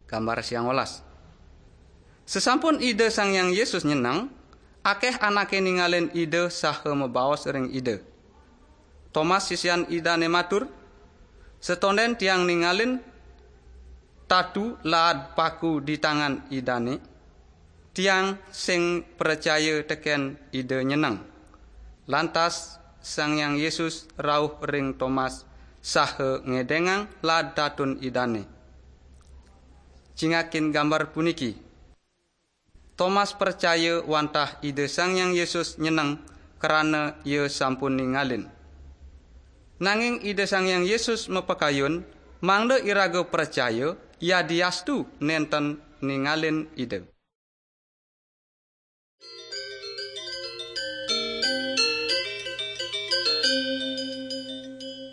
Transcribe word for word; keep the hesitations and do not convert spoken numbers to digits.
Gambar siang welas. Sesampun Ida Sang Hyang Yesus nyeneng, akeh anake ningalin Ida saha mabaos ring Ida. Tomas, sisian Idane, matur, "Setonden tiang ningalin tatu laad paku di tangan Idane, tiang sing pracaya teken Ida nyeneng." Lantas Sang Hyang Yesus rauh ring Tomas saha ngedengang laad tatun Idane. Cingakin gambar puniki. Tomas pracaya wantah Ida Sang Hyang Yesus nyeneng krana ia sampun ningalin. Nanging Ida Sang Hyang Yesus mapakayun mangda iraga pracaya yadiastu nenten ningalin Ida.